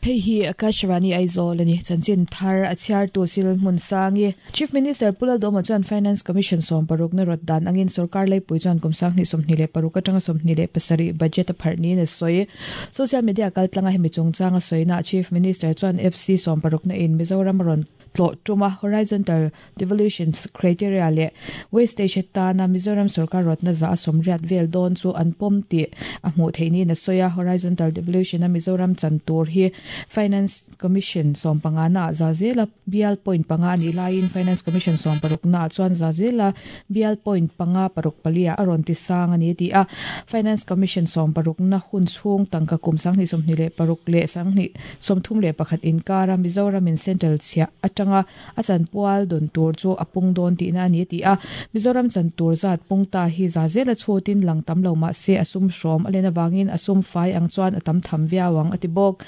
Hei hi Akashvani Aizawl a ni. Chanchin thar a chhiartu Sil Hmunsangi. Chief Minister Pu Laldawma chuan Finance Commission sawmparukna rawt dan angin sorkar leipui chuan kum 2026 atanga 27 budget a pharh niin a sawi. Social media kaltlanga hemi chungchanga sawina Chief Minister chuan FC sawmparukna in Mizoram a rawn tlawh tum a, horizontal devolution criteria leh wastage atana Mizoram sorkar rawtna za a sawmriat vel dawn chu an pawm tih a hmuh theih niin a sawi a. Horizontal devolution a Mizoram chan tur hi Finance Commission sawmpangana ah za zela bial point panga a nih laiin Finance Commission sawmparukna ah chuan za zela bial point panga paruk pali ah a rawn ti sang a ni a ti a. Finance Commission sawmparukna hun chhung tangka kum 2026 leh 2031 inkara Mizoramin Central chhiah atanga a chanpual dawn tur chu a pung dawn tihna a ni a ti a. Mizoram chan tur zat pung ta hi za zela chhutin lang tam lo mah se a sum hrawm a len avangin a sum fai ang chuan a tam tham viau ang a ti bawk.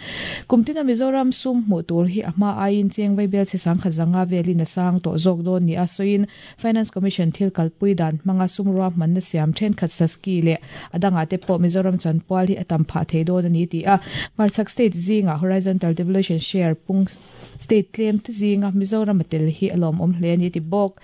Kum tina Mizoram sum hmuh tur hi a hma aiin cheng vaibel chhe sangkhat zanga velin a sang tawh zawk dawn nia sawiin Finance Commission thil kalpui dan hmanga sum ruahmanna siam thenkhat Saski leh a dangah te pawh Mizoram chanpual hi a tam phah thei dawn a ni ti a. Hmarchhak state zingah horizontal devolution share pung state tlem te zinga Mizoram a tel hi a lawmawm hle a ni ti bawk.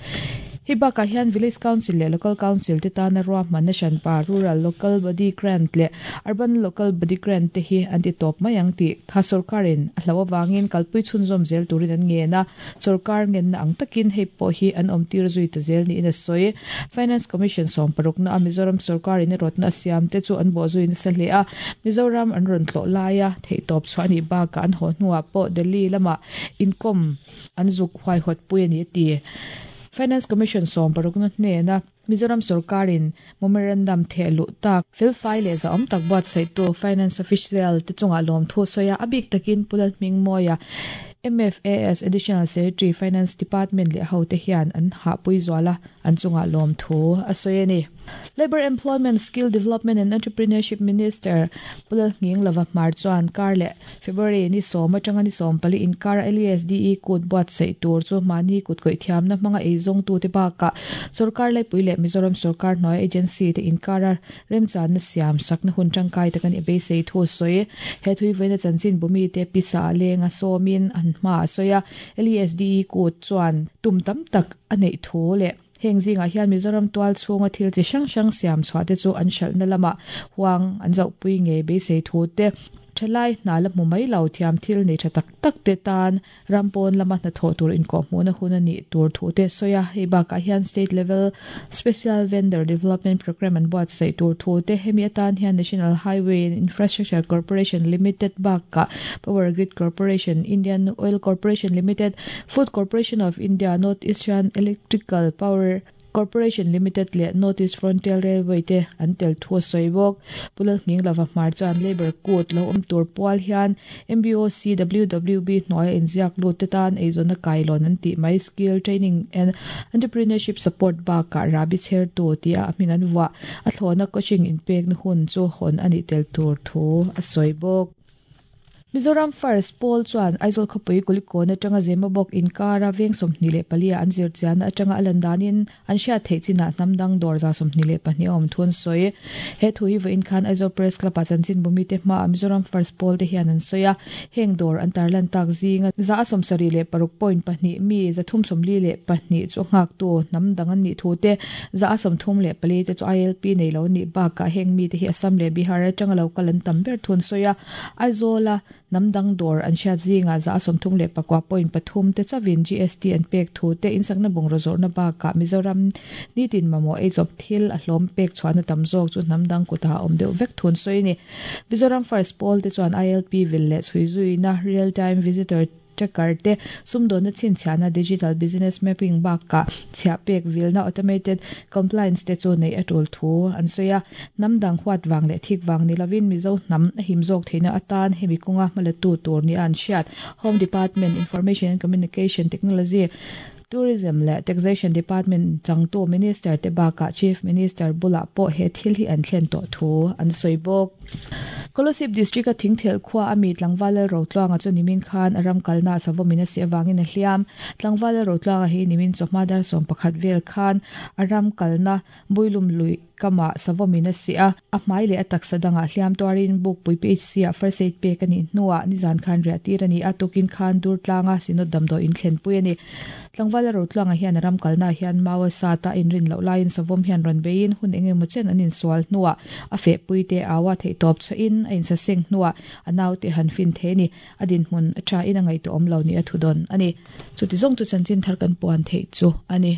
Hei bakah hian Village Council leh Local Council te tana ruahmanna hranpa Rural Local Body Grant leh Urban Local Body Grant te hi an ti tawp mai ang tih kha sorkarin a hlauh avangin kalpui chhunzawm zel turin an ngen a. Sorkar ngenna ang takin hei pawh hi an awmtir zui ta zel niin a sawi. Finance Commission sawmparukna a Mizoram sorkarin a rawtna a siam te chu an bawhzui nasa hle a. Mizoram an rawn tlawh laia theihtawp chhuah a nih bakah an haw hnuah pawh Delhi lamah inkawm an zuk huaihawtpui a ni a ti. Finance Commission sawmparukna hnena Mizoram sorkarin memorandum theh luh tak, felfai leh zahawm tak buatsaihtu Finance Official te chungah lawmthu sawi a, a bik takin Pu Lalhmingmawia, MFAS Additional Secretary, Finance Department leh hote hian an hahpui zual a, an chungah lawmthu a sawi a ni. Labour Employment, Skill Development and Entrepreneurship Minister Pu Lalhminglova Hmar chuan kar leh February ni sawm atanga ni 14 inkara LESDE kut buatsaih tur chu mahni kut kawih thiamna hmanga eizawngtute bakah sorkar laipui leh Mizoram sorkar hnuai agency te inkara remchanna siam sakna hun tangkai tak a nih beisei thu a sawi. He thuivawiina chanchin bumite pisa ah lenga sawmin an hma a sawi a, LESDE kut chuan tum tam tak a neih thu leh Heng zingah hian Mizoram tual chhunga thil chi hrang hrang siam chhuah te chu an hralhna lamah huang an zohpui ngei beisei thu te, thalai hna la hmu mai lo thiam thil nei tha tak tak te tan ram pawn lama hnathawh tur inkawhhmuhna hun a nih tur thu te a sawi a. Hei bakah hian State Level Special Vendor Development Programme an buatsaih tur thu te, hemi atan hian National Highway and Infrastructure Corporation Limited bakah Power Grid Corporation, Indian Oil Corporation Limited, Food Corporation of India, North Eastern Electrical Power Corporation Limited leh North East Frontier Railway te an tel thu a sawi bawk. Pu Lalhminglova Hmar chuan Labour Kut lo awm tur pual hian MBOC WWB hnuaia inziak lut te tan eizawnna kailawn an tih mai Skill Training and Entrepreneurship Support bakah rahbi chhertu tia a hming an vuah a thlawhna coaching inpekna hun chu hawn a nih tel tur thu a sawi bawk. Mizoram First Pawl chuan Aizawl khawpui Kulikawn atanga Zemabawk inkara veng 24 ah an zirchianna atanga a lan danin an hriat theih chinah hnam dang dawr za 22 a awm thu an sawi. He thu hi vawiin khan Aizawl Press Club ah chanchin bumite hmaah Mizoram First Pawl te hian an sawi a. Heng dawr an tarlan tak zinga za a 76.2 mi 342 chu nghaktu hnam dang an nih thu te, za a 34 te chu ILP nei lo an nih bakah heng mite hi Assam leh Bihar atanga lo kal an tam ber thu an sawi a. Aizawla hnam dang dawr an hriat zingah za a 39.3 te chauhin GST an pek thu te insakna bungraw zawrhna bakah Mizoram nitin mamawh eichawp thil a hlawm pek chhuahna tam zawk chu hnam dang kutah a awm deuh vek thu an sawi a ni. Mizoram First Pawl te chuan ILP vil leh chhui zuina Real Time Visitor Tracker te, sumdawnna chhinchhiahna Digital Business Mapping bakah chhiah pek vilna Automated Compliance te chu neih a tul thu an sawi a. Hnam dang huat vang leh thik vang ni lovin Mizo hnam a him zawk theihna atan hemi kawnga hmalatu tur nia an hriat Home Department, Information and Communication Technology, Tourism leh Taxation Department changtu Minister te bakah Chief Minister bulah pawh he thil hi an thlen tawh thu an sawi bawk. Kolasib District a Thingthel khua a mi Tlangval Lalrotluanga chu nimin khan a ram kalna a savawmin a si avangin a hliam. Tlangval Lalrotluanga hi nimin chawhma dar 11 vel khan a ram kalna Builum lui kamah savawmin a si a, a hmai leh a taksa dangah hliam tuarin Bukpui PHC ah first aid pek a nih hnuah nizan khan riah tir a ni a, tukin khan Durtlanga Synod damdawi in thlenpui a ni. Tlangvala Rotluanga hian a ram kalnaah hian mau a sat a, a inrin loh laiin savawm hian rawn beiin hun eng emaw chen an insual hnuah a fehpui te au a, theihtawp chhuahin a insaseng hnuah a naute han fin thei a ni. A dinhmun a thain a ngaihtuahawm lo nih a thudawn a ni. Chuti zawng chu chanchin thar kan puan theih chu a ni.